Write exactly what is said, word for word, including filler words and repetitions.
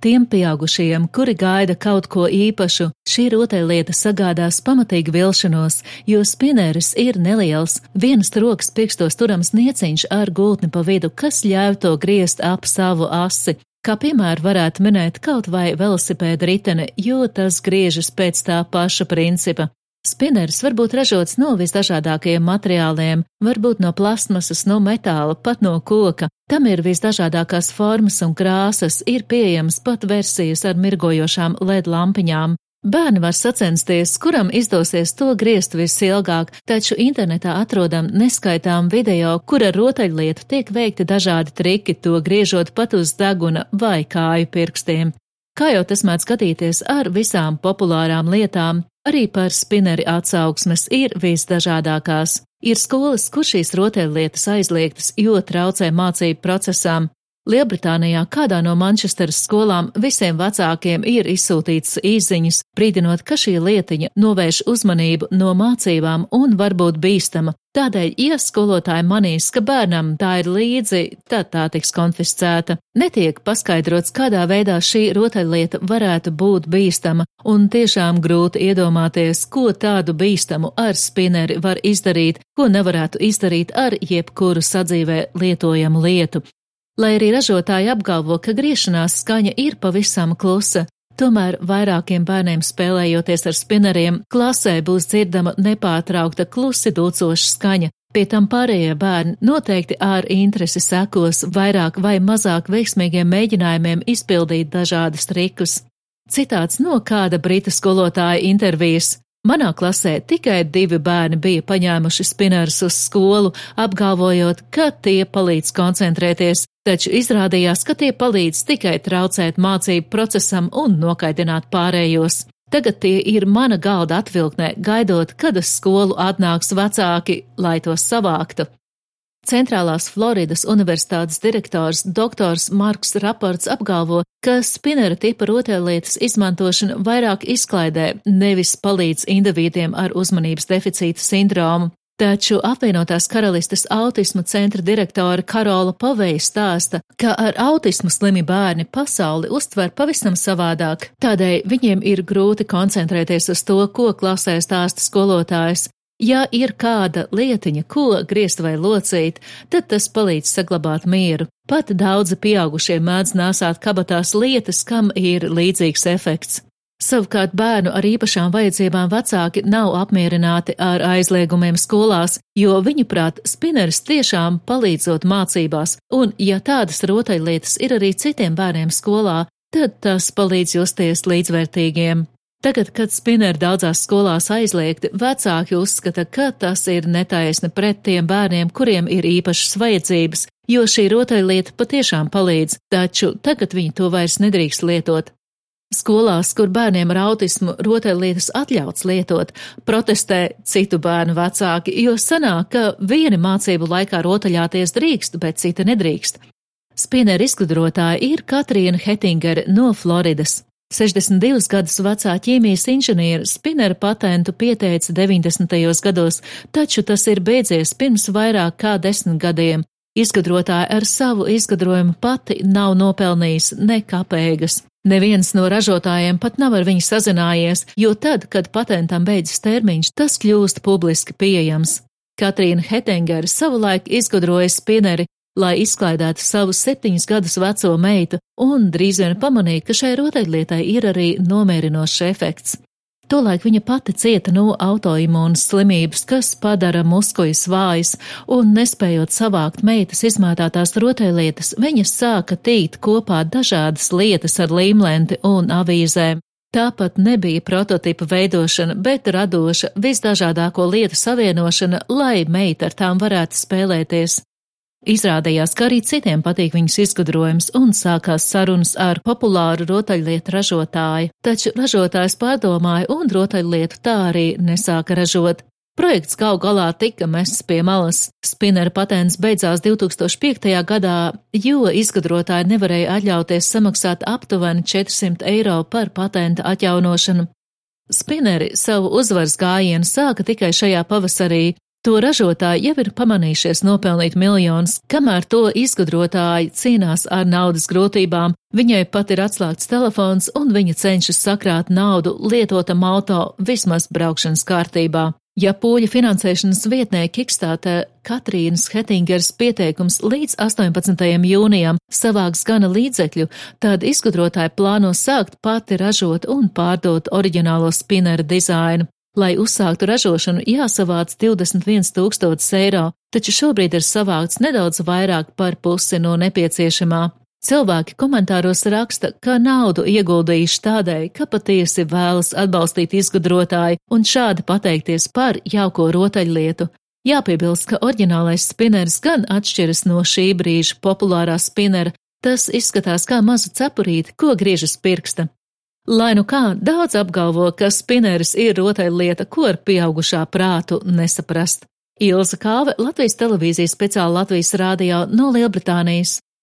Tiem pieaugušajiem, kuri gaida kaut ko īpašu, šī rotaļlieta sagādās pamatīgu vilšanos, jo spinneris ir neliels, vienas rokas pirkstos turams nieciņš ar gultni pa vidu, kas ļauj to griezt ap savu asi. Kā piemēru varētu minēt kaut vai velosipēda riteni, jo tas griežas pēc tā paša principa. Spinneris var būt ražots no visdažādākajiem materiāliem, varbūt no plastmasas, no metāla, pat no koka. Tam ir visdažādākās formas un krāsas, ir pieejamas pat versijas ar mirgojošām L E D lampiņām. Bērni var sacensties, kuram izdosies to griezt visilgāk, taču internetā atrodam neskaitām video, kur ar rotaļlietu tiek veikti dažādi triki, to griežot pat uz deguna vai kāju pirkstiem. Kā jau tas mēdz skatīties ar visām populārām lietām, arī par spinneri atsauksmes ir visdažādākās. Ir skolas, kur šīs rotaļlietas aizliegtas, jo traucē mācību procesām. Lielbritānijā kādā no Mančesteras skolām visiem vecākiem ir izsūtīts īsziņas, brīdinot, ka šī lietiņa novērš uzmanību no mācībām un var būt bīstama. Tādēļ, ja skolotāji manīs, ka bērnam tā ir līdzi, tad tā tiks konfiscēta. Netiek paskaidrots, kādā veidā šī rotaļlieta varētu būt bīstama, un tiešām grūti iedomāties, ko tādu bīstamu ar spinneri var izdarīt, ko nevarētu izdarīt ar jebkuru sadzīvē lietojamu lietu. Lai arī ražotāji apgalvo, ka griešanās skaņa ir pavisam klusa, tomēr vairākiem bērniem spēlējoties ar spinneriem, klasē būs dzirdama nepārtraukta klusi dulcoša skaņa. Pie tam pārējie bērni noteikti ar interesi sekos vairāk vai mazāk veiksmīgiem mēģinājumiem izpildīt dažādas trikus. Citāts no kāda britu skolotāja intervijas. Manā klasē tikai divi bērni bija paņēmuši spinnerus uz skolu, apgalvojot, ka tie palīdz koncentrēties, taču izrādījās, ka tie palīdz tikai traucēt mācību procesam un nokaidināt pārējos. Tagad tie ir mana galda atvilknē, gaidot, kad uz skolu atnāks vecāki, lai tos savāktu. Centrālās Floridas universitātes direktors doktors Marks Raports apgalvo, ka spinnera tipa rotaļlietas izmantošana vairāk izklaidē, nevis palīdz individiem ar uzmanības deficīta sindromu. Taču apvienotās karalistes autisma centra direktore Karola Poveja stāsta, ka ar autismu slimi bērni pasauli uztver pavisam savādāk, tādēļ viņiem ir grūti koncentrēties uz to, ko klasē stāsta skolotājs. Ja ir kāda lietiņa, ko griezt vai locīt, tad tas palīdz saglabāt mieru. Pat daudzi pieaugušie mēdz nēsāt kabatās lietas, kam ir līdzīgs efekts. Savukārt bērnu ar īpašām vajadzībām vecāki nav apmierināti ar aizliegumiem skolās, jo viņuprāt spinneris tiešām palīdzot mācībās, un ja tādas rotaļlietas ir arī citiem bērniem skolā, tad tas palīdz justies līdzvērtīgiem. Tagad, kad spinneri daudzās skolās aizliegti, vecāki uzskata, ka tas ir netaisni pret tiem bērniem, kuriem ir īpašas vajadzības, jo šī rotaļlieta patiešām palīdz, taču tagad viņi to vairs nedrīkst lietot. Skolās, kur bērniem ar autismu rotaļlietas atļauts lietot, protestē citu bērnu vecāki, jo sanāk, ka vieni mācību laikā rotaļāties drīkst, bet citi nedrīkst. Spinneri izgudrotāja ir Katrīna Hettingere no Floridas. sešdesmit divus gadus vecā ķīmijas inženiera spinnera patentu pieteica deviņdesmitajos gados, taču tas ir beidzies pirms vairāk kā desmit gadiem. Izgudrotāja ar savu izgudrojumu pati nav nopelnījis ne kapēgas. Neviens no ražotājiem pat nav ar viņu sazinājies, jo tad, kad patentam beidzas termiņš, tas kļūst publiski pieejams. Katrīna Hettingere savulaik izgudroja spinneri, lai izklaidētu savu septiņus gadus veco meitu, un drīz vien pamanīja, ka šai rotaļlietai ir arī nomierinošs efekts. Tolaik viņa pati cieta no autoimūnas slimības, kas padara muskuļus vājas, un nespējot savākt meitas izmētātās rotaļlietas, viņa sāka tīt kopā dažādas lietas ar līmlenti un avīzēm. Tāpat nebija prototipa veidošana, bet radoša, visdažādāko lietu savienošana, lai meita ar tām varētu spēlēties. Izrādījās, ka arī citiem patīk viņas izgudrojums, un sākās sarunas ar populāru rotaļlietu ražotāju, taču ražotājs pārdomāja un rotaļlietu tā arī nesāka ražot. Projekts gal galā tika mests pie malas. Spinnera patents beidzās divtūkstoš piektajā gadā, jo izgudrotāji nevarēja atļauties samaksāt aptuveni četrsimt eiro par patenta atjaunošanu. Spinneri savu uzvaras gājienu sāka tikai šajā pavasarī, To ražotāji jau ir pamanījušies nopelnīt miljonus, kamēr to izgudrotāji cīnās ar naudas grūtībām. Viņai pat ir atslēgts telefons un viņa cenšas sakrāt naudu lietotam auto vismaz braukšanas kārtībā. Ja pūļu finansēšanas vietnē Kickstarter Katrīnas Hettingers pieteikums līdz astoņpadsmitajam jūnijam savāks gana līdzekļu, tad izgudrotāji plāno sākt pati ražot un pārdot oriģinālo spinera dizainu. Lai uzsāktu ražošanu, jāsavāc divdesmit viens tūkstotis eiro, taču šobrīd ir savākts nedaudz vairāk par pusi no nepieciešamā. Cilvēki komentāros raksta, ka naudu ieguldījuši tādēļ, ka patiesi vēlas atbalstīt izgudrotāju un šādi pateikties par jauko rotaļlietu. Jāpiebilst, ka oriģinālais spineris gan atšķiras no šī brīža populārā spinera, tas izskatās kā maza cepurīte, ko griežas pirksta. Lai nu kā, daudz apgalvo, ka spineris ir rotaļlieta, ko ar pieaugušā prātu nesaprast. Ilza Kāve, Latvijas televīzijas speciāla Latvijas rādio no Lielbritānijas.